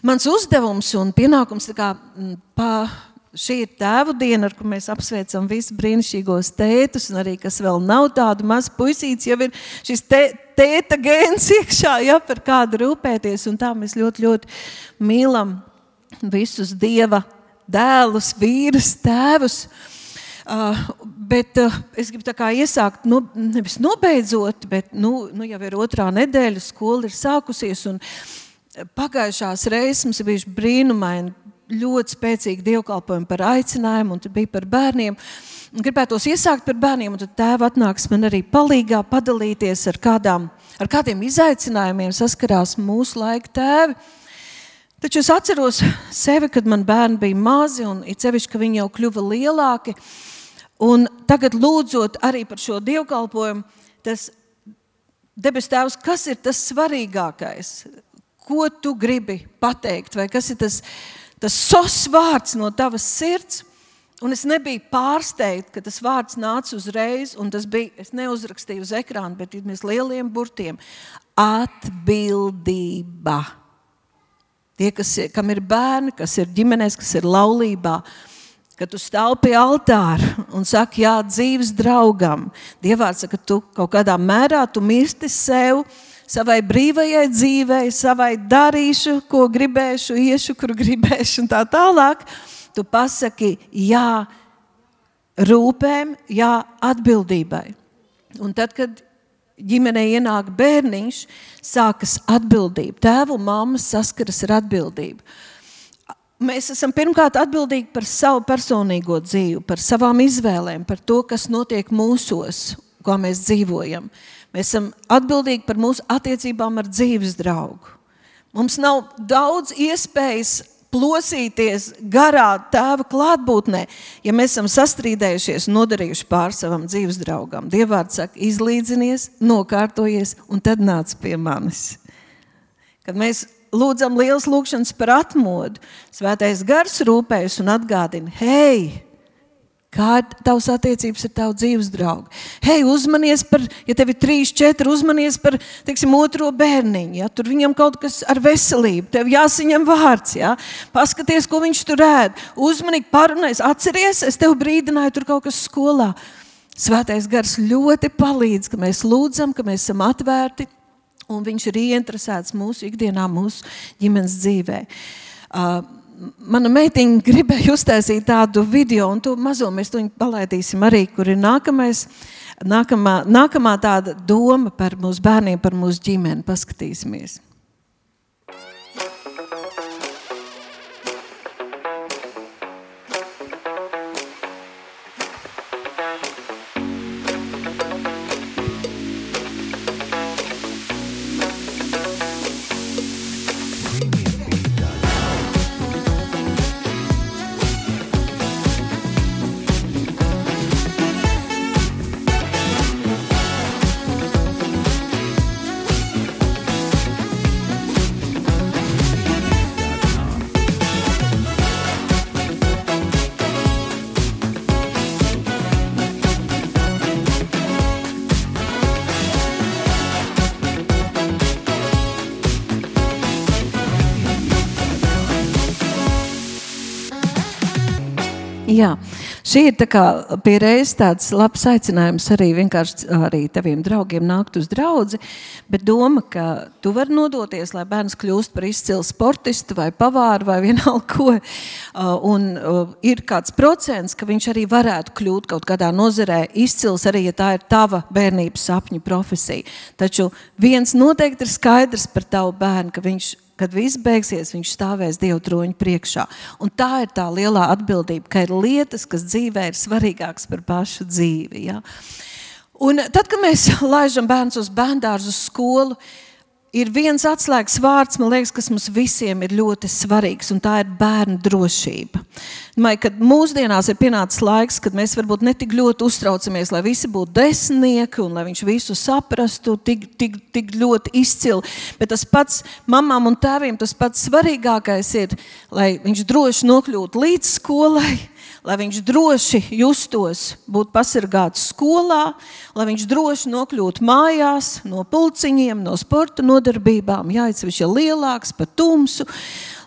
Mans uzdevums un pienākums šī ir tēvu diena, ar ko mēs apsveicam visus brīnišķīgos tētus, un arī, kas vēl nav tādu maz puisīts, jau ir šis tēta gēns iekšā, ja, par kādu rūpēties, un tā mēs ļoti, ļoti mīlam visus Dieva dēlus, vīrus, tēvus. Bet es gribu tā kā iesākt, nevis nobeidzot, bet jau ir 2. nedēļa, skola ir sākusies, un pagājušās reizes mums ir bijuši brīnumaini, ļoti spēcīgi dievkalpojumi par aicinājumu, un tur bija par bērniem. Gribētos iesākt par bērniem, un tad tēva atnāks man arī palīgā padalīties ar kādiem izaicinājumiem saskarās mūsu laika tēvi. Taču es atceros sevi, kad man bērni bija mazi, un it sevišķi, ka viņi jau kļuva lielāki. Un tagad lūdzot arī par šo dievkalpojumu, tas debes tēvs, kas ir tas svarīgākais? Ko tu gribi pateikt? Vai kas ir tas sos vārds no tavas sirds? Un es nebiju pārsteigta, ka tas vārds nāca uzreiz, un tas bija, es neuzrakstīju uz ekrānu, bet mēs lieliem burtiem. Atbildība. Tie, kam ir bērni, kas ir ģimenēs, kas ir laulībā, kad tu stāv pie altāra un saki, jā, dzīves draugam. Dievvārds saka, tu kaut kādā mērā, tu mirsti sev, savai brīvajai dzīvei, savai darīšu, ko gribēšu, iešu, kur gribēšu un tā tālāk. Tu pasaki, jā, rūpēm, jā, atbildībai. Un tad, kad ģimenei ienāk bērniņš, sākas atbildība. Tēvu un mammas saskaras ar atbildību. Mēs esam pirmkārt atbildīgi par savu personīgo dzīvi, par savām izvēlēm, par to, kas notiek mūsos, kā mēs dzīvojam. Mēs esam atbildīgi par mūsu attiecībām ar dzīves draugu. Mums nav daudz iespējas plosīties garā tēva klātbūtnē, ja mēs esam sastrīdējušies un nodarījuši pār savam dzīves draugam. Dievvārds saka, izlīdzinies, nokārtojies un tad nāc pie manis. Kad mēs lūdzam lielas lūkšanas par atmodu, Svētais Gars rūpējas un atgādina, hei, kā ir tavs attiecības ar tavu dzīves draugu? Hei, uzmanies par, ja tev ir 3, 4, uzmanies par, teiksim, 2. bērniņu, ja? Tur viņam kaut kas ar veselību, tev jāsaņem vārds, ja? Paskaties, ko viņš tur ēd, uzmanīgi parunājas, atceries, es tev brīdināju, tur kaut kas skolā. Svētais Gars ļoti palīdz, ka mēs lūdzam, ka mēs esam atvērti, un viņš ir ieinteresēts mūsu ikdienā, mūsu ģimenes dzīvē. Mana meitiņa gribēja uztaisīt tādu video, un to mazo mēs to palaidīsim arī, kur ir nākamā tāda doma par mūsu bērniem, par mūsu ģimeni. Paskatīsimies. Jā, šī ir tā kā pie reizes tāds labs aicinājums arī vienkārši arī taviem draugiem nākt uz draudzi, bet doma, ka tu vari nodoties, lai bērns kļūst par izcilu sportistu vai pavāru vai vienalga ko, un ir kāds procents, ka viņš arī varētu kļūt kaut kādā nozarē izcils, arī ja tā ir tava bērnības sapņu profesija. Taču viens noteikti ir skaidrs par tavu bērnu, ka viņš, kad viss beigsies, viņš stāvēs Dieva troņa priekšā. Un tā ir tā lielā atbildība, ka ir lietas, kas dzīvē ir svarīgākas par pašu dzīvi. Ja? Un tad, kad mēs laižam bērns uz bērndārzu, uz skolu, ir viens atslēgas vārds, man liekas, kas mums visiem ir ļoti svarīgs, un tā ir bērnu drošība. Kad mūsdienās ir pienācis laiks, kad mēs varbūt netik ļoti uztraucamies, lai visi būtu desmitnieki un lai viņš visu saprastu tik ļoti izcili, bet tas pats mamām un tēviem, tas pats svarīgākais ir, lai viņš droši nokļūtu līdz skolai, lai viņš droši justos būt pasargāts skolā, lai viņš droši nokļūtu mājās no pulciņiem, no sporta nodarbībām, jāizsevišķi lielāks, pa tumsu,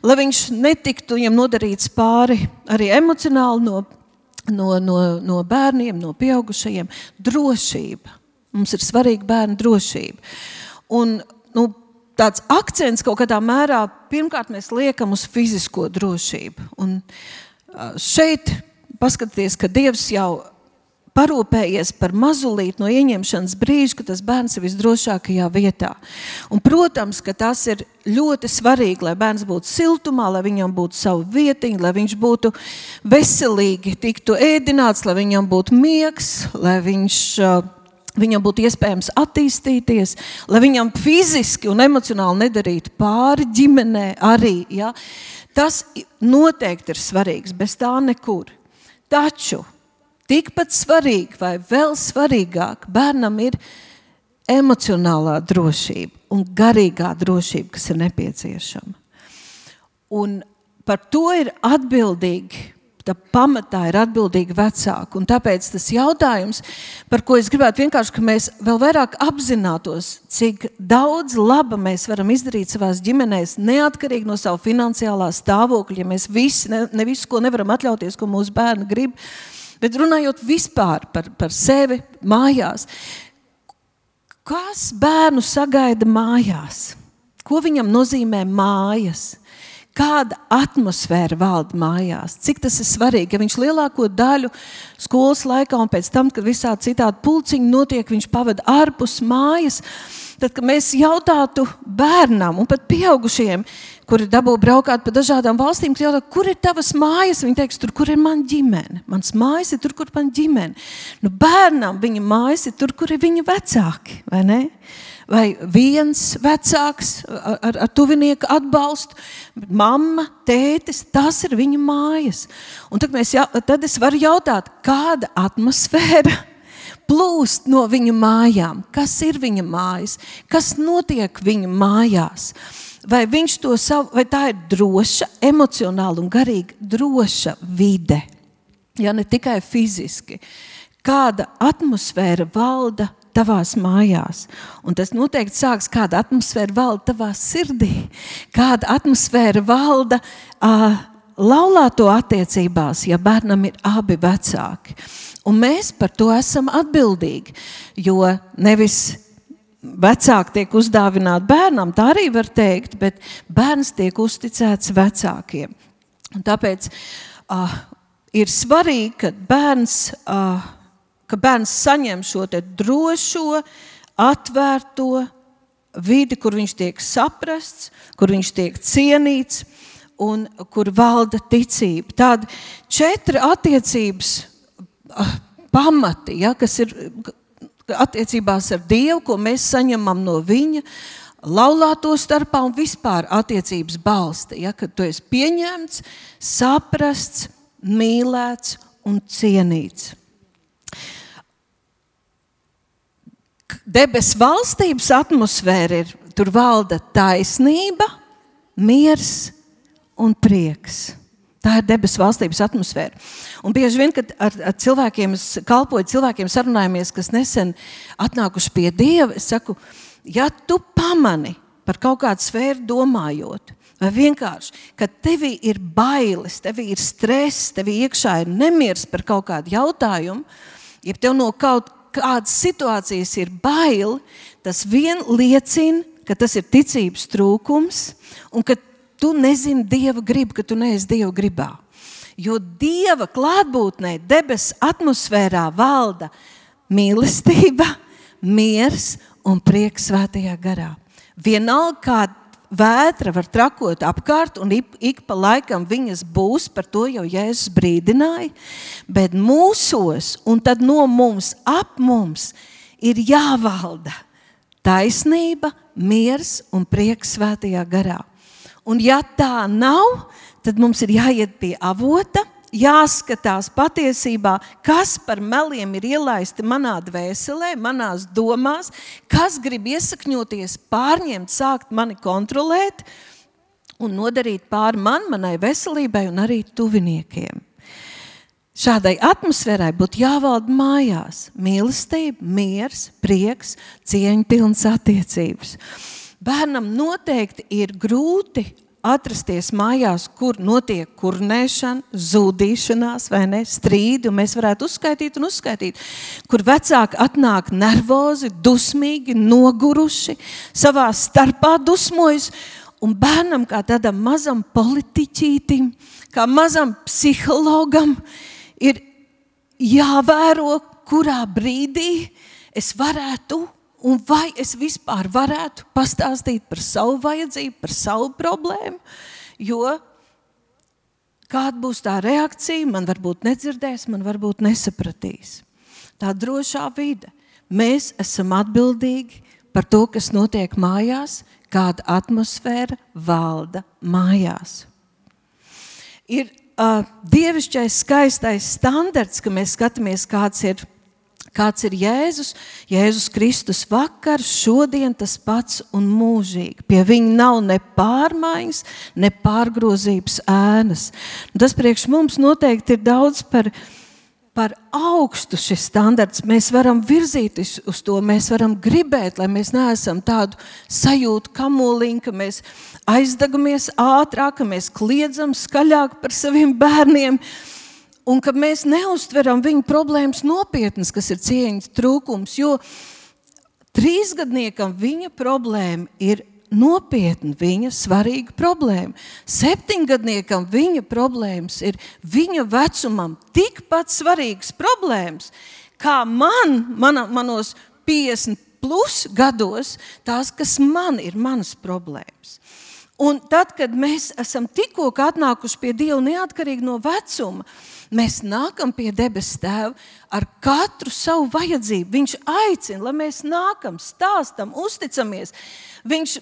lai viņš netiktu viņam nodarīts pāri arī emocionāli no bērniem, no pieaugušajiem. Drošība. Mums ir svarīga bērnu drošība. Un, tāds akcents kaut kādā mērā, pirmkārt mēs liekam uz fizisko drošību. Un šeit paskatieties, ka Dievs jau parūpējies par mazulīt no ieņemšanas brīža, ka tas bērns ir visdrošākajā vietā. Un, protams, ka tas ir ļoti svarīgi, lai bērns būtu siltumā, lai viņam būtu savu vietiņu, lai viņš būtu veselīgi, tiktu ēdināts, lai viņam būtu miegs, lai viņam būtu iespējams attīstīties, lai viņam fiziski un emocionāli nedarītu pāri ģimenē arī. Ja? Tas noteikti ir svarīgs, bez tā nekur. Taču tikpat svarīgi vai vēl svarīgāk bērnam ir emocionālā drošība un garīgā drošība, kas ir nepieciešama. Un par to ir atbildīgi. Tā pamatā ir atbildīgi vecāki. Un tāpēc tas jautājums, par ko es gribētu vienkārši, ka mēs vēl vairāk apzinātos, cik daudz laba mēs varam izdarīt savās ģimenēs, neatkarīgi no savu finansiālā stāvokļa, ja mēs visi, ne visu, ko nevaram atļauties, ko mūsu bērni grib, bet runājot vispār par sevi mājās. Kas bērnu sagaida mājās? Ko viņam nozīmē mājas? Kāda atmosfēra valda mājās? Cik tas ir svarīgi, ja viņš lielāko daļu skolas laikā un pēc tam, kad visādi citādi pulciņi notiek, viņš pavada ārpus mājas, tad, kad mēs jautātu bērnam un pat pieaugušajiem, kuri dabū braukāt pa dažādām valstīm, kad jautā, kur ir tavas mājas? Viņi teiks, tur, kur ir man ģimene. Mans mājas ir tur, kur man ģimene. Bērnam viņa mājas ir tur, kur ir viņa vecāki, vai ne? Vai viens vecāks ar tuvinieku atbalstu, mamma, tētis, tas ir viņa mājas. Un tad es varu jautāt, kāda atmosfēra plūst no viņa mājām? Kas ir viņa mājas? Kas notiek viņa mājās? Vai tā ir droša, emocionāli un garīgi droša vide? Ja ne tikai fiziski. Kāda atmosfēra valda tavās mājās. Un tas noteikti sāks, kāda atmosfēra valda tavā sirdī, kāda atmosfēra valda laulāto attiecībās, ja bērnam ir abi vecāki. Un mēs par to esam atbildīgi, jo nevis vecāki tiek uzdāvināti bērnam, tā arī var teikt, bet bērns tiek uzticēts vecākiem. Un tāpēc ir svarīgi, ka bērns saņem šo te drošo, atvērto vidi, kur viņš tiek saprasts, kur viņš tiek cienīts un kur valda ticība. Tādi 4 attiecības pamati, ja, kas ir attiecībās ar Dievu, ko mēs saņemam no viņa, laulāto starpā un vispār attiecības balsta, ja, kad tu esi pieņemts, saprasts, mīlēts un cienīts. Debes valstības atmosfēra ir, tur valda taisnība, miers un prieks. Tā ir debes valstības atmosfēra. Un bieži vien, kad ar cilvēkiem, kalpoju cilvēkiem sarunājamies, kas nesen atnākuši pie Dieva, es saku, ja tu pamani par kaut kādu sfēru domājot, vai vienkārši, ka tevī ir bailes, tevī ir stress, tevī iekšā ir nemiers par kaut kādu jautājumu, ja tev no kaut kādas situācijas ir bail, tas vien liecina, ka tas ir ticības trūkums un ka tu nezini Dieva gribu, ka tu neesi Dieva gribā. Jo Dieva klātbūtnē debes atmosfērā valda mīlestība, miers un prieks svētajā garā. Vienalga, kā vētra var trakot apkārt un ik pa laikam viņas būs, par to jau Jēzus brīdināja, bet mūsos un tad no mums, ap mums ir jāvalda taisnība, miers un prieks svētajā garā. Un ja tā nav, tad mums ir jāiet pie avota, jāskatās patiesībā, kas par meliem ir ielaisti manā dvēselē, manās domās, kas grib iesakņoties, pārņemt, sākt mani kontrolēt un nodarīt pāri manai veselībai un arī tuviniekiem. šādai atmosfērai būtu jāvalda mājās. Mīlestība, miers, prieks, cieņpilnas attiecības. Bērnam noteikti ir grūti atrasties mājās, kur notiek kurnēšana, zūdīšanās, vai ne, strīdi, un mēs varētu uzskaitīt, kur vecāki atnāk nervozi, dusmīgi, noguruši, savā starpā dusmojas, un bērnam kā tādam mazam politiķītim, kā mazam psihologam, ir jāvēro, kurā brīdī es varētu un vai es vispār varētu pastāstīt par savu vajadzību, par savu problēmu, jo kāda būs tā reakcija, man varbūt nedzirdēs, man varbūt nesapratīs. Tā drošā vide. Mēs esam atbildīgi par to, kas notiek mājās, kāda atmosfēra valda mājās. Ir dievišķais skaistais standarts, ka mēs skatāmies, kāds ir Jēzus. Jēzus Kristus vakar, šodien tas pats un mūžīgi. Pie viņa nav ne pārmaiņas, ne pārgrozības ēnas. Tas priekš mums noteikti ir daudz par augstu šis standarts. Mēs varam virzīties uz to, mēs varam gribēt, lai mēs neesam tādu sajūtu kamoliņu, ka mēs aizdegamies ātrāk, ka mēs kliedzam skaļāk par saviem bērniem, un ka mēs neuztveram viņu problēmas nopietnas, kas ir cieņas trūkums, jo 3-gadniekam viņa problēma ir nopietna, viņa svarīga problēma. 7-gadniekam viņa problēmas ir viņa vecumam tikpat svarīgas problēmas, kā manos 50 plus gados, tās, kas man ir manas problēmas. Un tad, kad mēs esam tikko atnākuši pie Dieva neatkarīgi no vecuma, mēs nākam pie debes Tēva ar katru savu vajadzību. Viņš aicina, lai mēs nākam, stāstam, uzticamies. Viņš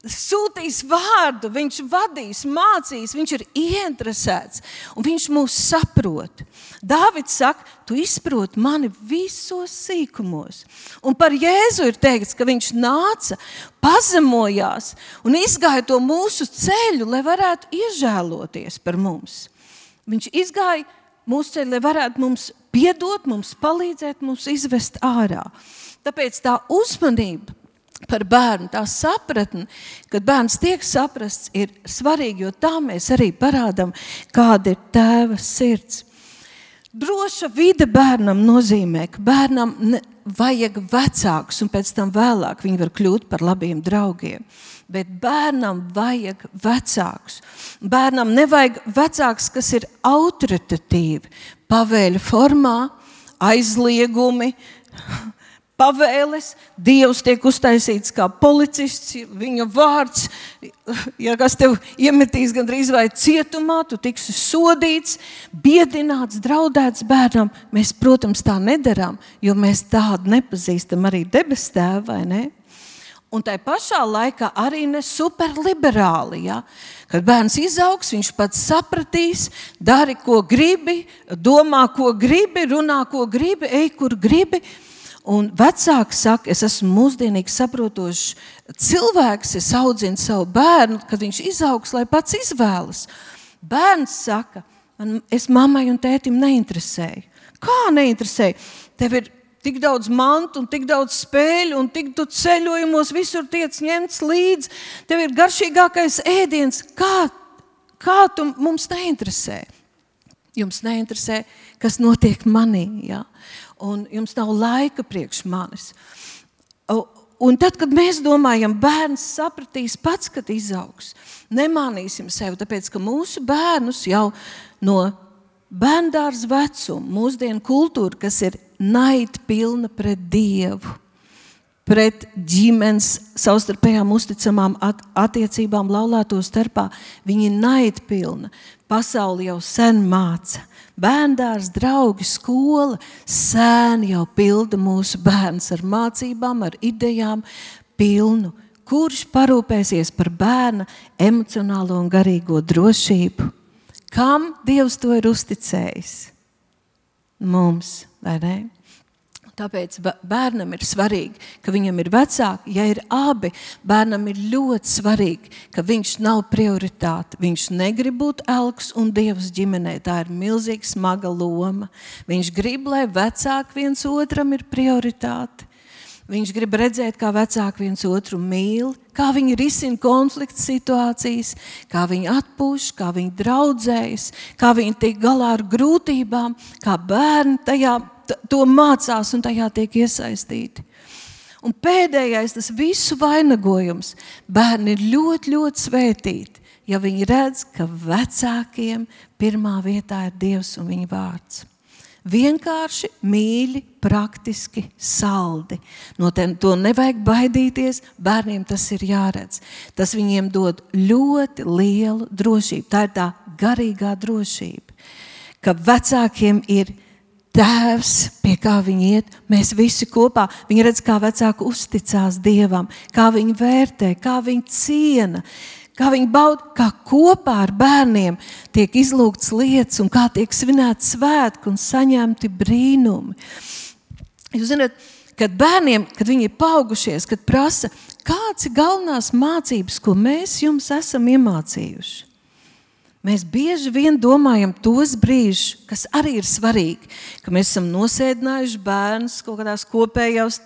sūtīs vārdu, viņš vadīs, mācīs, viņš ir ieinteresēts un viņš mūs saprot. Dāvids saka, tu izproti mani visos sīkumos. Un par Jēzu ir teikts, ka viņš nāca, pazemojās un izgāja to mūsu ceļu, lai varētu iežēloties par mums. Viņš izgāja mūsu ceļu, lai varētu mums piedot, mums palīdzēt, mums izvest ārā. Tāpēc tā uzmanība par bērnu, tā sapratne, kad bērns tiek saprasts, ir svarīgi, jo tā mēs arī parādam, kāda ir Tēva sirds. Droša vide bērnam nozīmē, ka bērnam vajag vecākus, un pēc tam vēlāk viņi var kļūt par labiem draugiem. Bet bērnam vajag vecākus. Bērnam nevajag vecāks, kas ir autoritatīvi, pavēļu formā, aizliegumi, pavēles, Dievs tiek uztaisīts kā policists, viņa vārds, ja kas tev iemetīs gandrīz vai cietumā, tu tiksi sodīts, biedināts, draudēts bērnam. Mēs, protams, tā nedarām, jo mēs tādu nepazīstam arī debes Tēvu, vai ne? Un tai pašā laikā arī ne superliberāli, ja? Kad bērns izaugs, viņš pats sapratīs, dari, ko gribi, domā, ko gribi, runā, ko gribi, ej, kur gribi. Un vecāki saka, es esmu mūsdienīgi saprotošs cilvēks, es audzinu savu bērnu, kad viņš izaugs, lai pats izvēlas. Bērns saka, es mammai un tētim neinteresēju. Kā neinteresēju? Tev ir tik daudz mantu un tik daudz spēļu un tik tu ceļojumos visur tiec ņemts līdz. Tev ir garšīgākais ēdiens. Kā tu mums neinteresē? Jums neinteresē, kas notiek manī, ja? Un jums nav laika priekš manis. Un tad, kad mēs domājam, bērns sapratīs pats, kad izaugs, nemānīsim sevi, tāpēc, ka mūsu bērnus jau no bērndārza vecuma, mūsdienu kultūra, kas ir naidpilna pret Dievu, pret ģimenes savstarpējām uzticamām attiecībām laulāto starpā, viņi naidpilna. Pasauli jau sen māca. Bērndārs, draugi, skola, sēni jau pilda mūsu bērns ar mācībām, ar idejām pilnu. Kurš parūpēsies par bērna emocionālo un garīgo drošību? Kam Dievs to ir uzticējis? Mums, vai ne? Tāpēc bērnam ir svarīgi, ka viņam ir vecāki. Ja ir abi, bērnam ir ļoti svarīgi, ka viņš nav prioritāte. Viņš negrib būt elks un dievs ģimenē. Tā ir milzīga smaga loma. Viņš grib, lai vecāki viens otram ir prioritāte. Viņš grib redzēt, kā vecāki viens otru mīl, kā viņi risina konflikta situācijas, kā viņi atpūš, kā viņi draudzējas, kā viņi tiek galā ar grūtībām, kā bērni to mācās un tajā tiek iesaistīti. Un pēdējais, tas visu vainagojums, bērni ir ļoti, ļoti svētīti, ja viņi redz, ka vecākiem pirmā vietā ir Dievs un viņa vārds. Vienkārši, mīļi, praktiski, saldi. No to nevajag baidīties, bērniem tas ir jāredz. Tas viņiem dod ļoti lielu drošību. Tā ir tā garīgā drošība, ka vecākiem ir tēvs, pie kā viņi iet, mēs visi kopā. Viņi redz, kā vecāki uzticās Dievam, kā viņi vērtē, kā viņi ciena, kā viņi bauda, kā kopā ar bērniem tiek izlūgts lietas un kā tiek svinēti svētki un saņemti brīnumi. Jūs zināt, kad bērniem, kad viņi ir paaugušies, kad prasa, kāds ir galvenās mācības, ko mēs jums esam iemācījuši? Mēs bieži vien domājam tos brīžus, kas arī ir svarīgi, ka mēs esam nosēdinājuši bērnus kaut kādās kopējās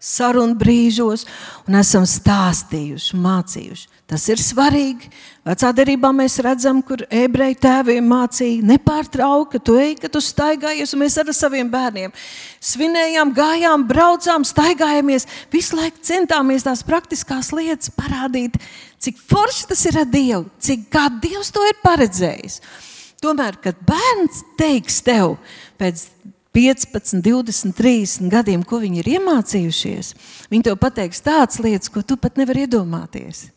sarunu brīžos un esam stāstījuši, mācījuši. Tas ir svarīgi. Vecā derībā mēs redzam, kur ebreju tēviem mācīja nepārtraukt, ka tu ej, ka tu staigājies, un mēs ar saviem bērniem svinējām, gājām, braucām, staigājamies, visu laiku centāmies tās praktiskās lietas parādīt, cik forši tas ir ar Dievu, kā Dievs to ir paredzējis. Tomēr, kad bērns teiks tev pēc 15, 20, 30 gadiem, ko viņi ir iemācījušies, viņi tev pateiks tādas lietas, ko tu pat nevar iedomāties.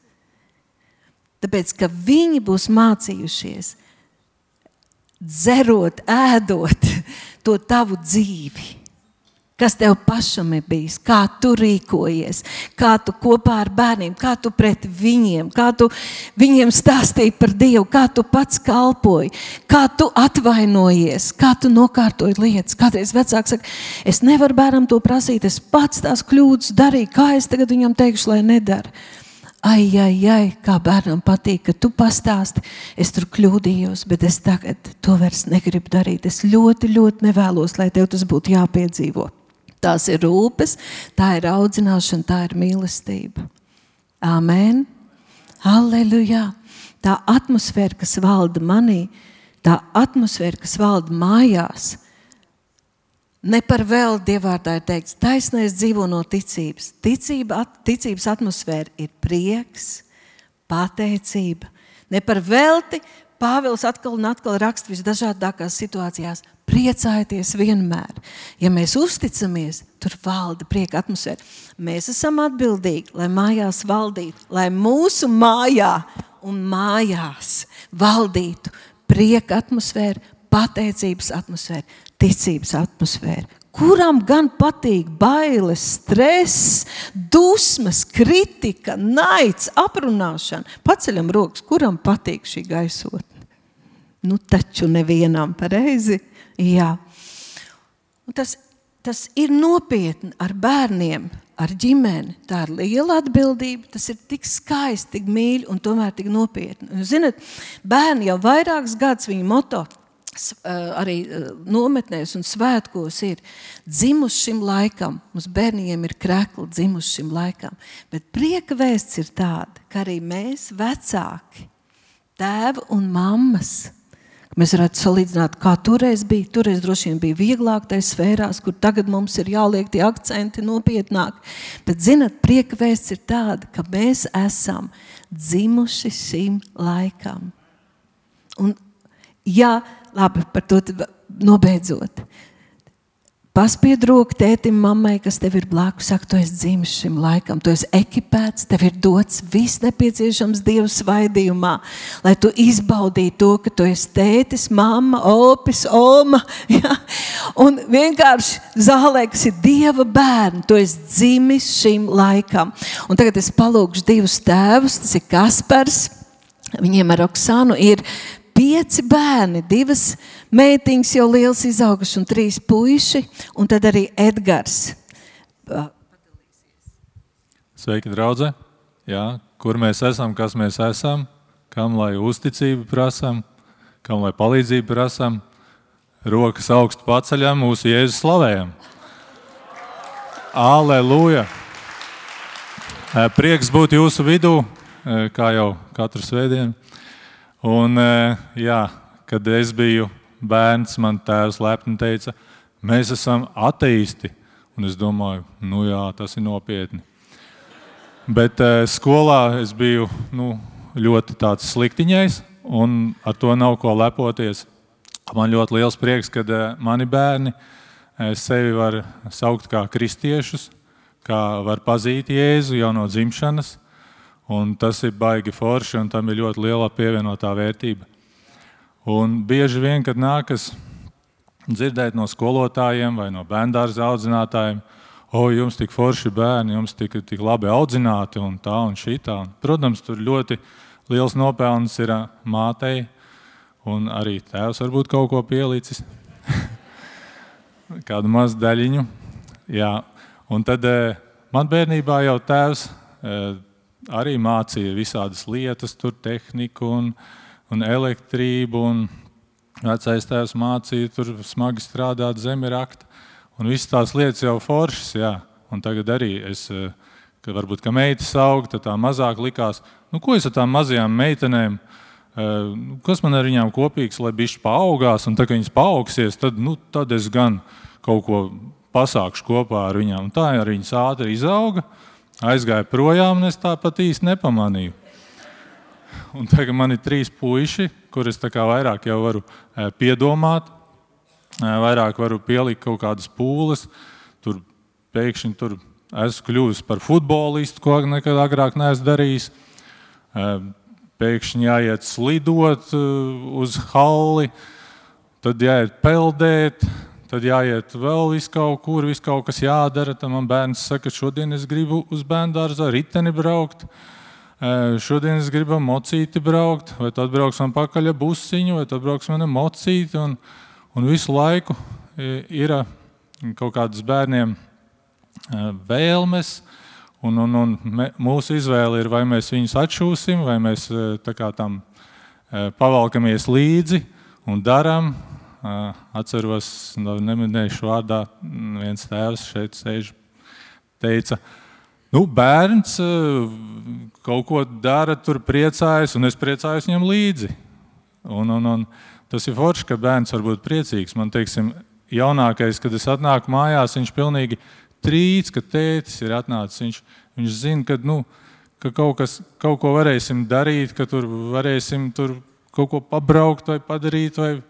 Tāpēc, ka viņi būs mācījušies dzerot, ēdot to tavu dzīvi. Kas tev pašam ir bijis, kā tu rīkojies, kā tu kopā ar bērniem, kā tu pret viņiem, kā tu viņiem stāstīji par Dievu, kā tu pats kalpoji, kā tu atvainojies, kā tu nokārtoji lietas. Kādreiz vecāks saka, es nevaru bērnam to prasīt, es pats tās kļūdas darīju, kā es tagad viņam teikšu, lai nedara. Ai, kā bērnam patīk, ka tu pastāsti, es tur kļūdījos, bet es tagad to vairs negribu darīt. Es ļoti, ļoti nevēlos, lai tev tas būtu jāpiedzīvo. Tās ir rūpes, tā ir audzināšana, tā ir mīlestība. Amen. Halleluja. Tā atmosfēra, kas valda manī, tā atmosfēra, kas valda mājās, ne par vēl Dievvārdā ir teikts, taisnais dzīvo no ticības. Ticības atmosfēra ir prieks, pateicība. Ne par velti Pāvils atkal un atkal raksta visdažādākās situācijās. Priecājieties vienmēr. Ja mēs uzticamies, tur valda prieka atmosfēra. Mēs esam atbildīgi, lai mājās valdītu, lai mūsu mājā un mājās valdītu prieka atmosfēra, pateicības atmosfēra, ticības atmosfēra. Kuram gan patīk bailes, stress, dusmas, kritika, naids, aprunāšana? Paceļam rokas, kuram patīk šī gaisotne? Nu taču nevienam, pareizi? Jā. Un tas ir nopietni ar bērniem, ar ģimeni. Tā ir liela atbildība, tas ir tik skaisti, tik mīļi un tomēr tik nopietni. Un, zināt, bērni jau vairākus gadus viņu moto arī nometnēs un svētkos ir dzimuši šim laikam. Mums bērniem ir krekli dzimuši šim laikam. Bet prieka vēsts ir tāda, ka arī mēs vecāki, tēvi un mammas, mēs varētu salīdzināt, kā toreiz bija. Toreiz droši vien bija vieglāk tajā sfērās, kur tagad mums ir jāliek tie akcenti nopietnāk. Bet, zināt, prieka vēsts ir tāda, ka mēs esam dzimuši šim laikam. Un, jā, labi, par to nobeidzot. Paspied roku tētim, mammai, kas tev ir blakus, saka, tu esi dzimis šim laikam, tu esi ekipēts, tev ir dots viss nepieciešams Dieva svaidījumā, lai tu izbaudītu to, ka tu esi tētis, mamma, opis, oma, ja? Un vienkārši zālē, kas ir Dieva bērni, tu esi dzimis šim laikam. Un tagad es palūkšu divus tēvus, tas ir Kaspars, viņiem ar Oksanu ir 5 bērni, 2 meitiņas jau liels izauguši un 3 puiši, un tad arī Edgars. Sveiki, draudze! Jā, kur mēs esam, kas mēs esam, kam lai uzticību prasam, kam lai palīdzību prasam, rokas augstu paceļam, mūsu Jēzus slavējam. Aleluja! Prieks būt jūsu vidū, kā jau katru svētdienu. Un, jā, kad es biju bērns, man tēvs lepni teica, mēs esam ateisti. Un es domāju, nu jā, tas ir nopietni. Bet skolā es biju ļoti tāds sliktiņais, un ar to nav ko lepoties. Man ļoti liels prieks, kad mani bērni sevi var saukt kā kristiešus, kā var pazīt Jēzu jau no dzimšanas. Un tas ir baigi forši, un tam ir ļoti liela pievienotā vērtība. Un bieži vien, kad nākas dzirdēt no skolotājiem vai no bērndārza audzinātājiem, jums tik forši bērni, jums tik labi audzināti un tā un šitā. Protams, tur ļoti liels nopelns ir mātei, un arī tēvs varbūt kaut ko pielicis. Kādu mazu daļiņu. Jā. Un tad man bērnībā jau tēvs arī mācīja visādas lietas, tur tehniku un elektrību, un vecais tēvs mācīja tur smagi strādāt zemi rakta. Un visas tās lietas jau foršas, jā. Un tagad arī es, kad varbūt, ka meitas aug, tad tā mazāk likās, ko es ar tām mazajām meitenēm, kas man ar viņām kopīgs, lai bišķi paaugās, un tā, ka viņas paaugsies, tad es gan kaut ko pasākšu kopā ar viņām. Un tā arī viņas ātri izauga, aizgāja projām, un es tāpat īsti nepamanīju. Un tagad man ir 3 puiši, kurus tā kā vairāk jau varu piedomāt, vairāk varu pielikt kaut kādas pūles. Tur pēkšņi esmu kļuvis par futbolistu, ko nekad agrāk neesmu darījis. Pēkšņi jāiet slidot uz halli, tad jāiet peldēt, tad jāiet vēl visu kaut kas jādara. Tad man bērns saka, šodien es gribu uz bērndārza riteni braukt, šodien es gribu mocīti braukt, vai tad brauks man pakaļ busiņu, vai tad brauks man mocīti. Un visu laiku ir kaut kādas bērniem vēlmes, un mūsu izvēle ir, vai mēs viņus atšūsim, vai mēs tā kā tam pavalkamies līdzi un daram. Atceros, neminēšu vārdā, viens tēvs šeit sēž, teica, bērns kaut ko dara, tur priecājas, un es priecājos viņam līdzi. Un tas ir forši, ka bērns var būt priecīgs. Man, teiksim, jaunākais, kad es atnāku mājās, viņš pilnīgi trīc, ka tētis ir atnācis. Viņš zina, ka kaut ko varēsim darīt, ka tur varēsim tur kaut ko pabraukt vai padarīt, vai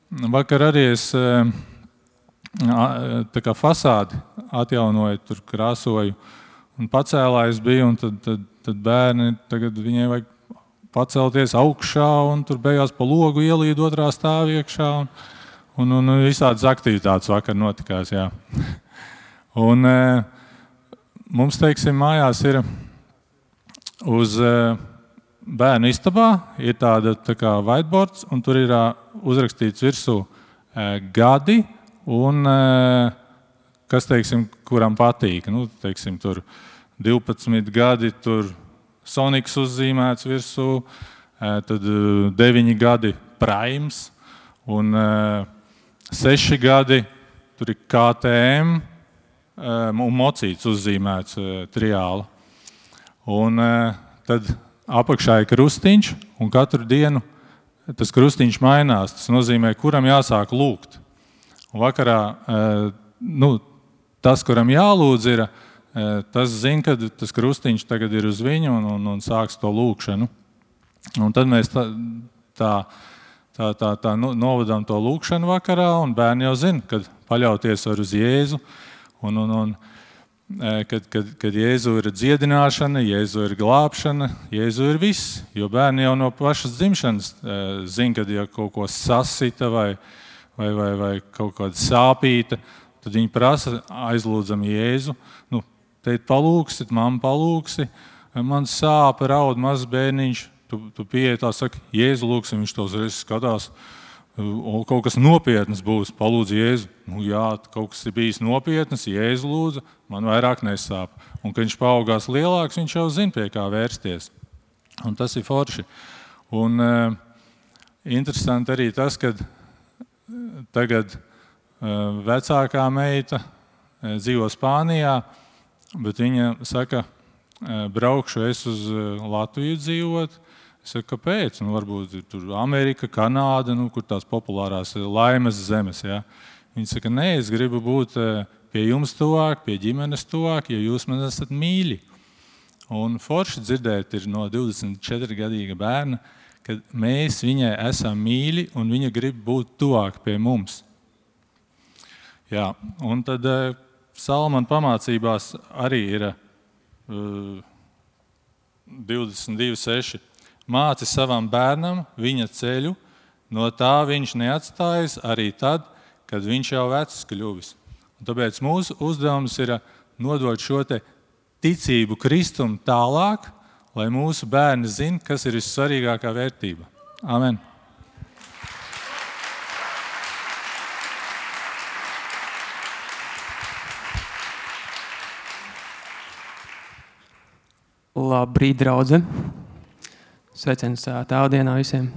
vakar arī es tā kā fasādi atjaunoju, tur krāsoju un pacēlājs biju, un tad bērni, tagad viņai vajag pacelties augšā, un tur beigās pa logu ielīd otrā stāv iekšā, un visādas aktivitātes vakar notikās, jā. Un mums, teiksim, mājās ir uz bērnu istabā ir tāda tā kā whiteboards, un tur ir uzrakstīts virsū gadi, un kas, teiksim, kuram patīk. Teiksim, tur 12 gadi, tur Sonics uzzīmēts virsū, tad 9 gadi Primes, un 6 gadi, tur ir KTM, un mocīts uzzīmēts triāla. Un tad apakšā ir krustiņš, un katru dienu tas krustiņš mainās. Tas nozīmē, kuram jāsāk lūgt. Un vakarā tas, kuram jālūdz, ir, tas zina, ka tas krustiņš tagad ir uz viņu un sāks to lūgšanu. Un tad mēs tā novadām to lūgšanu vakarā, un bērni jau zina, kad paļauties var uz Jēzu. Kad Jēzu ir dziedināšana, Jēzu ir glābšana, Jēzu ir viss. Jo bērni jau no pašas dzimšanas zina, kad ja kaut ko sasita vai kaut kāda sāpīta, tad viņi prasa, aizlūdzam Jēzu. Tēt palūksit, mamma palūksi, man sāp, raud mazs bērniņš, tu pieeji tā, saka, Jēzu lūksim, viņš tos reizes skatās, un kaut kas nopietnas būs, palūdz Jēzu. Nu jā, kaut kas ir bijis nopietnas, Jēzu lūdzu, man vairāk nesāp. Un, kad viņš paaugās lielāks, viņš jau zina, pie kā vērsties. Un tas ir forši. Un interesanti arī tas, ka tagad vecākā meita dzīvo Spānijā, bet viņa saka, braukšu es uz Latviju dzīvot. Es saku, kāpēc? Nu, varbūt tur Amerika, Kanāda, kur tās populārās laimes zemes. Ja? Viņa saka, nē, es gribu būt pie jums tuvāk, pie ģimenes tuvāk, jo jūs man esat mīļi. Un forši dzirdēt ir no 24-gadīga bērna, kad mēs viņai esam mīļi un viņa grib būt tuvāk pie mums. Jā, un tad Salmana pamācībās arī ir 22.6. Māci savam bērnam viņa ceļu, no tā viņš neatstājas arī tad, kad viņš jau vecs kļuvis. Un tāpēc mūsu uzdevums ir nodot šo te ticību Kristum tālāk, lai mūsu bērni zina, kas ir vissvarīgākā vērtība. Amen. Labrīt, draudze! Sveiciens tēvdienā visiem!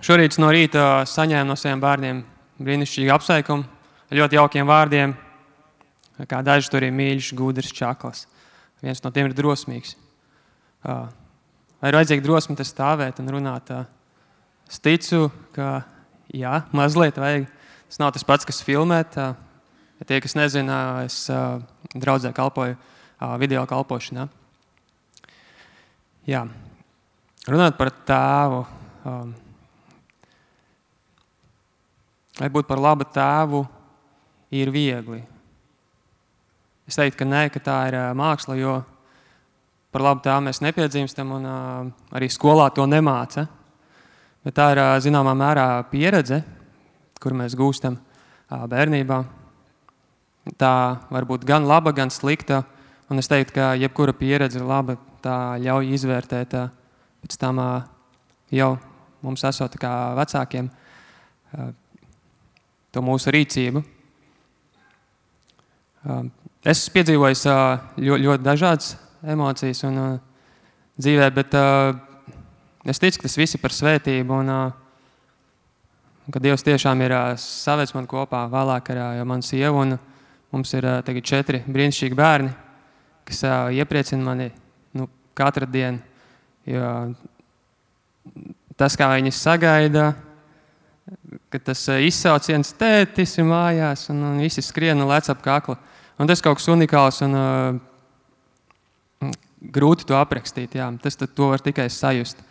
Šorīt no rīta saņēmu no saviem bērniem brīnišķīgu apsveikumu, ļoti jaukiem vārdiem, kā daži tur ir mīļš, gudrs, čakls. Viens no tiem ir drosmīgs. Vai ir vajadzīga drosme te stāvēt un runāt? Es ticu, ka jā, mazliet vajag. Tas nav tas pats, kas filmēt. Ja tie, kas nezina, es draudzē kalpoju video kalpošanā. Jā. Runāt par tēvu. Vai būt par labu tēvu ir viegli? Es teiktu, ka nē, ka tā ir māksla, jo par labu tēvu mēs nepiedzimstam un arī skolā to nemāca. Bet tā ir zināmā mērā pieredze, kur mēs gūstam bērnībā. Tā var būt gan laba, gan slikta. Un es teiktu, ka jebkura pieredze ir laba, tā ļauj izvērtēt pēc tam jau mums esot kā vecākiem to mūsu rīcību. Es esmu piedzīvojis ļoti dažādas emocijas un dzīvē, bet es ticu, ka tas viss ir par svētību un ka Dievs tiešām ir savedis man kopā vēlāk ar manu sievu un mums ir tagad 4 brīnišķīgi bērni, kas iepriecina mani katru dienu, jo tas, kā viņi sagaida, ka tas izsauciens tētis ir mājās un visi skrien un lec ap kaklu. Un tas kaut kas unikāls un grūti to aprakstīt. Jā. To var tikai sajust.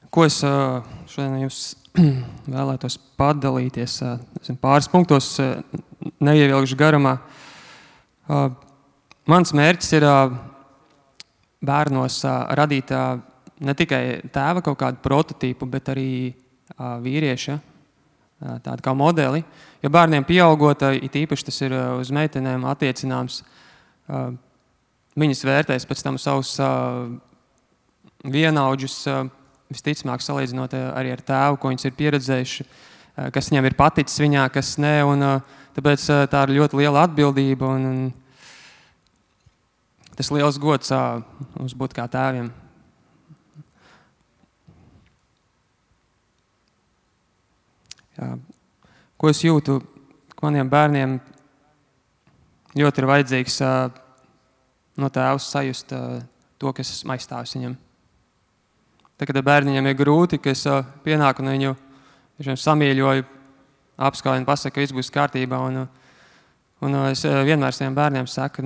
Ko es šodien jums vēlētos padalīties pāris punktos, neievilkšu garumā. Mans mērķis ir bērnos radīt ne tikai tēva kaut kādu prototīpu, bet arī vīrieša, tādu kā modeli. Jo bērniem pieaugot, it īpaši tas ir uz meitenēm attiecināms, viņas vērtēs pēc tam savus vienaudžus, visticamāk salīdzinot arī ar tēvu, ko viņas ir pieredzējuši, kas viņam ir paticis viņā, kas ne, un tāpēc tā ir ļoti liela atbildība, un tas liels gods mums būt kā tēviem. Jā. Ko es jūtu, ka maniem bērniem ļoti ir vajadzīgs no tēvs sajust to, kas esmu aizstāvis viņam. Tā, kad bērniņam ir grūti, ka es pienāku un viņu samīļoju, apskauju un pasaku, ka viss būs kārtībā. Un es vienmēr saviem bērniem saku,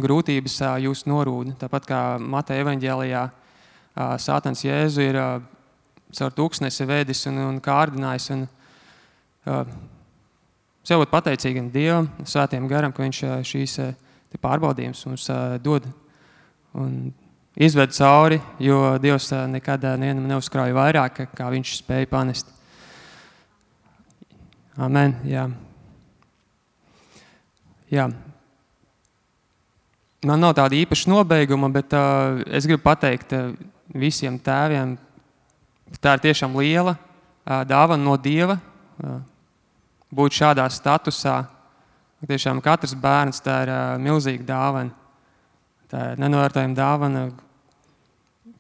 grūtības jūs norūda. Tāpat kā Mateja evaņģēlijā Sātans Jēzu ir caur tūkstnesi vēdis un kārdinājis. Sev būt pateicīgam Dievam, Svētajam garam, ka viņš šīs pārbaudījums mums dod un izved cauri, jo Dievs nekad nevienam neuzkrauja vairāk, kā viņš spēja panest. Amen, jā. Jā. Man nav tāda īpaša nobeiguma, bet es gribu pateikt visiem tēviem, tā ir tiešām liela dāvana no Dieva būt šādā statusā. Tiešām katrs bērns tā ir milzīga dāvana. Tā ir nenovērtējama dāvana,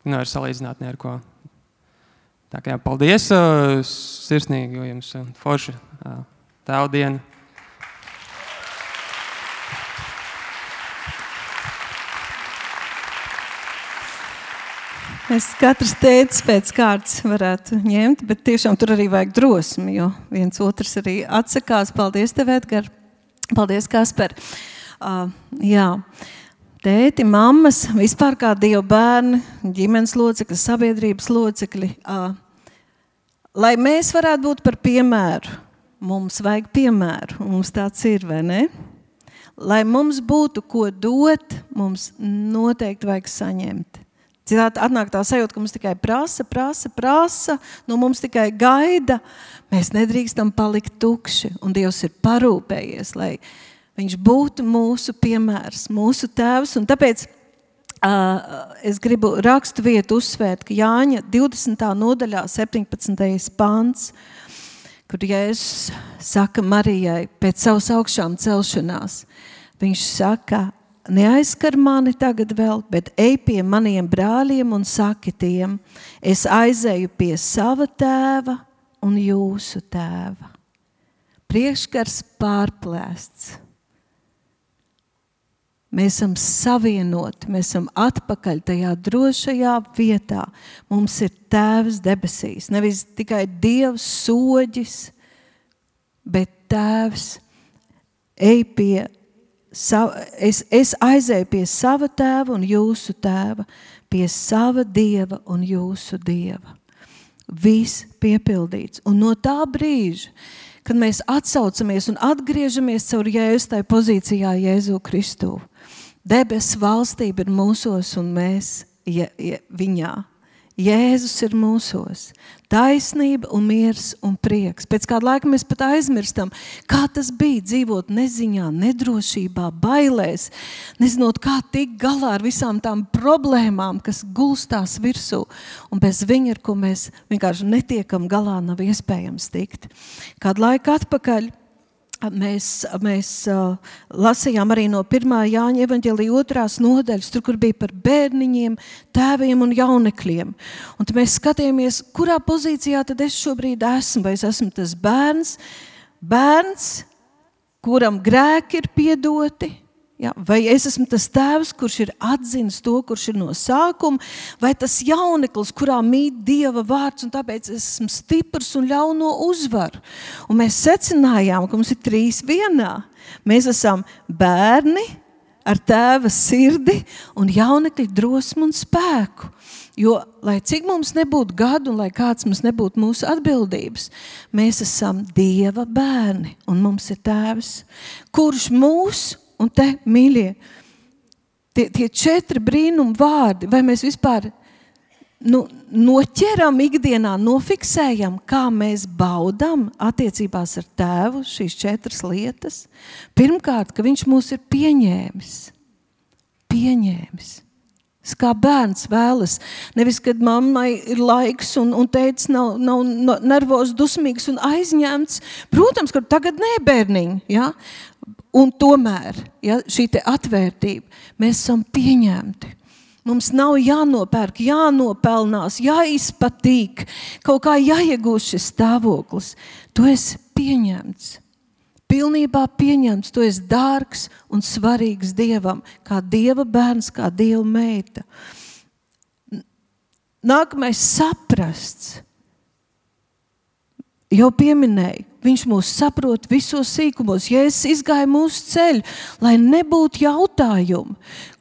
nevar salīdzināt ne ar ko. Tā kā paldies sirsnīgi jums forši tēvdienu. Mēs katrs tētis pēc kārtas varētu ņemt, bet tiešām tur arī vajag drosmi, jo viens otrs arī atsakās. Paldies tev, Edgar. Paldies, Kasper. Jā, tēti, mammas, vispār kā Dieva bērni, ģimenes locekļi, sabiedrības locekļi. Lai mēs varētu būt par piemēru, mums vajag piemēru, mums tāds ir, vai ne? Lai mums būtu ko dot, mums noteikti vajag saņemt. Citādi atnāk tā sajūta, ka mums tikai prasa, no mums tikai gaida. Mēs nedrīkstam palikt tukši, un Dievs ir parūpējies, lai viņš būtu mūsu piemērs, mūsu tēvs. Un tāpēc es gribu rakstu vietu uzsvērt, ka Jāņa 20. nodaļā 17. pants, kur Jēzus saka Marijai pēc savas augšām celšanās, viņš saka, neaizskar mani tagad vēl, bet ej pie maniem brāļiem un saki tiem, es aizēju pie sava tēva un jūsu tēva. Priekškars pārplēsts. Mēs esam savienoti, mēs esam atpakaļ tajā drošajā vietā. Mums ir tēvs debesīs, nevis tikai Dievs soģis, bet tēvs ej pie Es aizēju pie sava tēva un jūsu tēva, pie sava Dieva un jūsu Dieva. Viss piepildīts. Un no tā brīža, kad mēs atsaucamies un atgriežamies caur Jēzus tai pozīcijā Jēzu Kristu, debesu valstība ir mūsos un mēs viņā. Jēzus ir mūsos. Taisnība un miers un prieks. Pēc kāda laika mēs pat aizmirstam, kā tas bija dzīvot neziņā, nedrošībā, bailēs, nezinot, kā tikt galā ar visām tām problēmām, kas gulstās virsū. Un bez viņa, ar ko mēs vienkārši netiekam galā, nav iespējams tikt. Kādu laiku atpakaļ mēs lasījām arī no 1. Jāņa evaņģēlija 2. nodaļas, tur, kur bija par bērniņiem, tēviem un jaunekļiem. Un tad mēs skatījāmies, kurā pozīcijā tad es šobrīd esmu, vai es esmu tas bērns, kuram grēki ir piedoti, ja? Vai es esmu tas tēvs, kurš ir atzinis to, kurš ir no sākuma, vai tas jauneklis, kurā mīt Dieva vārds, un tāpēc es esmu stiprs un ļauno uzvaru. Un mēs secinājām, ka mums ir 3 vienā. Mēs esam bērni ar tēva sirdi un jaunekļi drosmu un spēku. Jo, lai cik mums nebūtu gadu un lai kāds mums nebūtu mūsu atbildības, mēs esam Dieva bērni un mums ir tēvs, kurš mūs. Un te, mīļie, tie 4 brīnum vārdi, vai mēs vispār noķeram ikdienā, nofiksējam, kā mēs baudam attiecībās ar tēvu šīs 4 lietas. Pirmkārt, ka viņš mūs ir pieņēmis. Kā bērns vēlas. Nevis, kad mammai ir laiks un tētis nav nervos, dusmīgs un aizņemts. Protams, ka tagad nē, bērniņi, ja? Un tomēr, ja, šī te atvērtība, mēs esam pieņemti. Mums nav jānopērk, jānopelnās, jāizpatīk, kaut kā jāiegūst šis stāvoklis. Tu esi pieņemts. Pilnībā pieņemts, tu esi dārgs un svarīgs Dievam, kā Dieva bērns, kā Dieva meita. Nākamais saprasts. Jau pieminēju, viņš mūs saprot visos sīkumos. Jēzus izgāja mūsu ceļu, lai nebūtu jautājumu,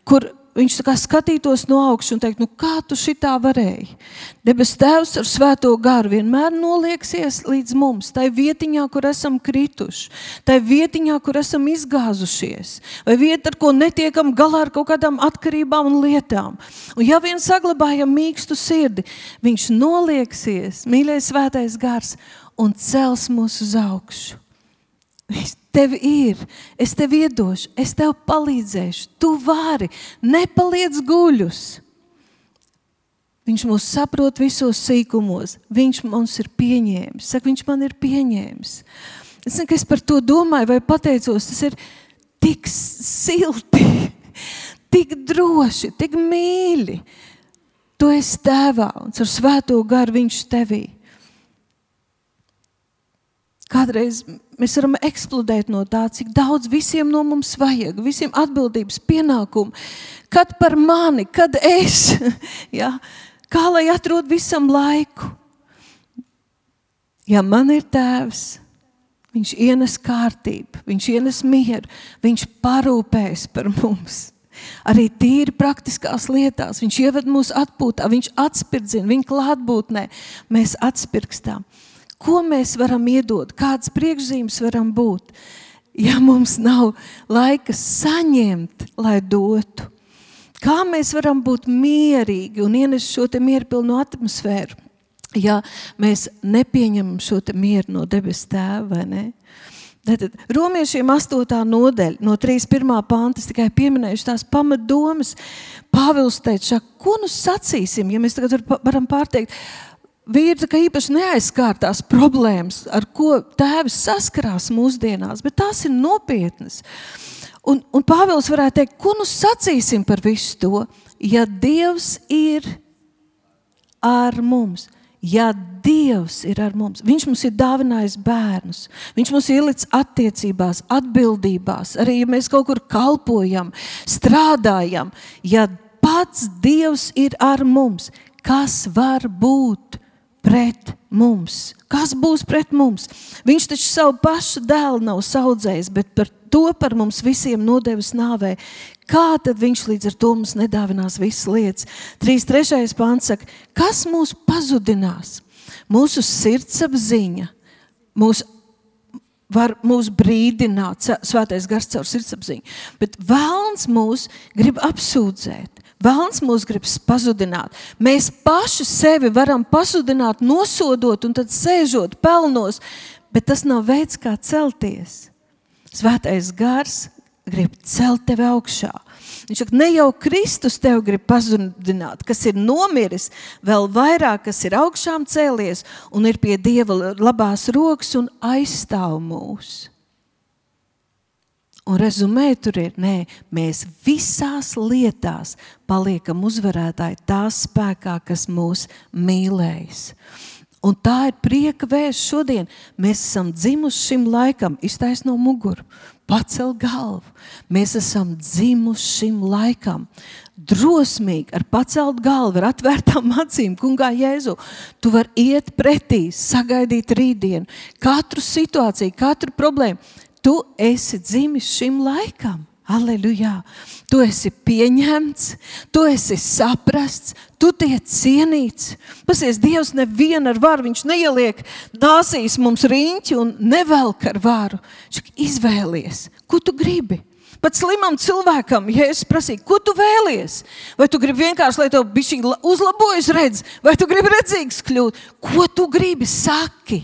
kur viņš tā kā skatītos no augšas un teikt, kā tu šitā varēji? Debes Tēvs ar svēto garu vienmēr nolieksies līdz mums, tai vietiņā, kur esam krituši, tai vietiņā, kur esam izgāzušies, vai vieta, ar ko netiekam galā ar kaut kādām atkarībām un lietām. Un ja vien saglabājam mīkstu sirdi, viņš nolieksies, mīļais svētais gars, un cels mūs uz augšu. Tev ir, es tev iedošu, es tev palīdzēšu, tu vari, nepaliec guļus. Viņš mūs saprot visos sīkumos, viņš mums ir pieņēmis, saka, viņš man ir pieņēmis. Es zinu, ka es par to domāju vai pateicos, tas ir tik silti, tik droši, tik mīļi. Tu esi tēvā un ar svēto garu viņš tevī. Kādreiz mēs varam eksplodēt no tā, cik daudz visiem no mums vajag, visiem atbildības pienākumu. Kad par mani, kad es, ja, kā lai atrod visam laiku. Ja man ir tēvs, viņš ienes kārtību, viņš ienes mieru, viņš parūpēs par mums. Arī tīri praktiskās lietās, viņš ieved mūs atpūtā, viņš atspirdzina, viņa klātbūtnē, mēs atspirkstām. Ko mēs varam iedot, kādas priekšzīmes varam būt, ja mums nav laika saņemt, lai dotu? Kā mēs varam būt mierīgi un ienest šo te mierpilnu atmosfēru, ja mēs nepieņemam šo te mieru no debes tēva, vai ne? Tātad Romiešiem 8. nodaļa, no 31. panta, es tikai pieminējuši tās pamatdomas. Pāvils teica, ko nu sacīsim, ja mēs tagad varam pārteikt, vīri tā kā īpaši neaizskārtās problēmas, ar ko tēvis saskarās mūsdienās, bet tās ir nopietnas. Un Pāvils varētu teikt, ko nu sacīsim par visu to, ja Dievs ir ar mums. Ja Dievs ir ar mums, viņš mums ir dāvinājis bērnus, viņš mums ir ielicis attiecībās, atbildībās, arī ja mēs kaut kur kalpojam, strādājam, ja pats Dievs ir ar mums, kas var būt pret mums? Kas būs pret mums? Viņš taču savu pašu dēlu nav saudzējis, bet par mums visiem nodevis nāvē. Kā tad viņš līdz ar to mums nedāvinās visas lietas? 3.3. pants saka, kas mūs pazudinās? Mūsu sirdsapziņa var mūs brīdināt, svētais gars caur sirdsapziņu, bet vēlns mūs grib apsūdzēt. Vēlns mūs grib pazudināt. Mēs paši sevi varam pazudināt, nosodot un tad sēžot pelnos, bet tas nav veids, kā celties. Svētais gars grib celt tevi augšā. Viņš saka, ne jau Kristus tev grib pazudināt, kas ir nomiris, vēl vairāk, kas ir augšām cēlies un ir pie Dieva labās rokas un aizstāv mūs. Un rezumē tur ir, mēs visās lietās paliekam uzvarētāji tā spēkā, kas mūs mīlējis. Un tā ir prieka vēsts šodien. Mēs esam dzimuši šim laikam, iztais no muguru, pacel galvu. Mēs esam dzimuši šim laikam. Drosmīgi, ar pacelt galvu, ar atvērtām acīm, kungā Jēzu. Tu vari iet pretī, sagaidīt rītdienu, katru situāciju, katru problēmu. Tu esi dzimis šim laikam. Halleluja. Tu esi pieņemts, tu esi saprasts, tu tiec cienīts. Pasies, Dievs nevienu ar varu, viņš neieliek dāsīs mums riņķi un nevelk ar varu. Izvēlies, ko tu gribi. Pat slimam cilvēkam, ja es prasīju, ko tu vēlies? Vai tu gribi vienkārši, lai tev bišķiņ uzlabojas redz? Vai tu gribi redzīgs kļūt? Ko tu gribi, saki?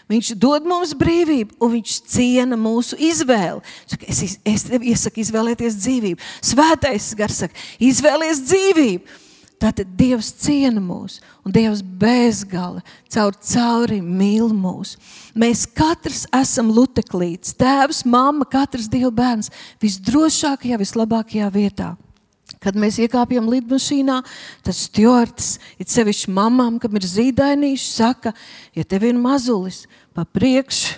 Viņš dod mums brīvību, un viņš ciena mūsu izvēli. Es tev iesaku izvēlēties dzīvību. Svētais gars saka, izvēlies dzīvību. Tātad Dievs ciena mūs, un Dievs bezgala cauri mīl mūs. Mēs katrs esam luteklīts, tēvs, mamma, katrs Dieva bērns visdrošākajā, vislabākajā vietā. Kad mēs iekāpjam lidmašīnā, tad stjuards, it sevišķi mamām, kam ir zīdainīši, saka, ja tev ir mazulis pa priekšu,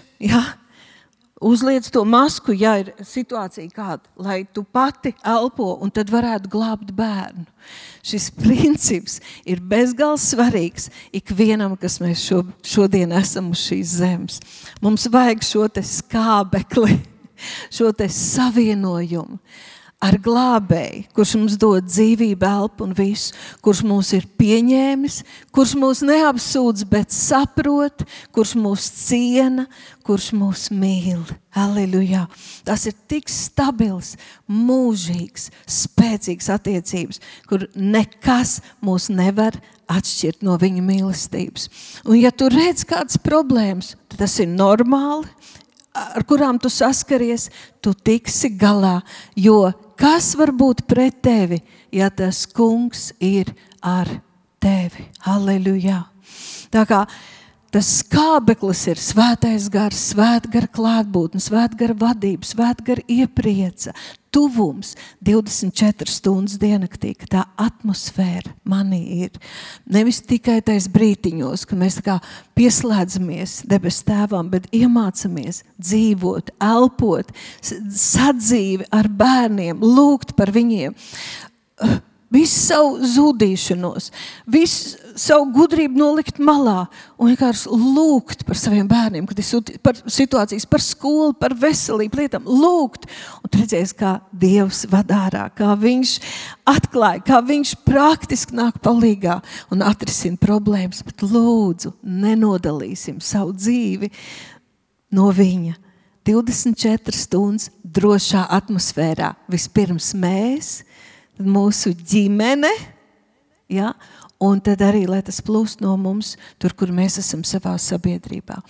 uzliec to masku, ja ir situācija kāda, lai tu pati elpo un tad varētu glābt bērnu. Šis princips ir bezgalīgi svarīgs ikvienam, kas mēs šodien esam uz šīs zemes. Mums vajag šo te skābekli, šo te savienojumu ar glābēju, kurš mums dod dzīvību, elpu un visu, kurš mūs ir pieņēmis, kurš mūs neapsūdz, bet saprot, kurš mūs ciena, kurš mūs mīl. Halleluja! Tas ir tik stabils, mūžīgs, spēcīgs attiecības, kur nekas mūs nevar atšķirt no viņa mīlestības. Un ja tu redz kādas problēmas, tad tas ir normāli. ar kurām tu saskaries, tu tiksi galā, jo kas var būt pret tevi, ja tas kungs ir ar tevi? Halleluja! Tā kā tas skābeklis ir svētais gars, svētgara klātbūtne, svētgara vadība, svētgara ieprieca, tuvums 24 stundas diennaktī, ka tā atmosfēra manī ir. Nevis tikai tais brītiņos, ka mēs tā kā pieslēdzamies debes tēvam, bet iemācamies dzīvot, elpot, sadzīvi ar bērniem, lūgt par viņiem. Visu savu zudīšanos, visu savu gudrību nolikt malā un vienkārši lūgt par saviem bērniem, kad ir par situācijas, par skolu, par veselību lietām, lūgt. Un tu redzēsi, kā Dievs vadārā, kā viņš atklāja, kā viņš praktiski nāk palīgā un atrisina problēmas, bet lūdzu, nenodalīsim savu dzīvi no viņa. 24 stundas drošā atmosfērā. Vispirms mēs, tad mūsu ģimene, ja, un tad arī, lai tas plūst no mums, tur, kur mēs esam savā sabiedrībā.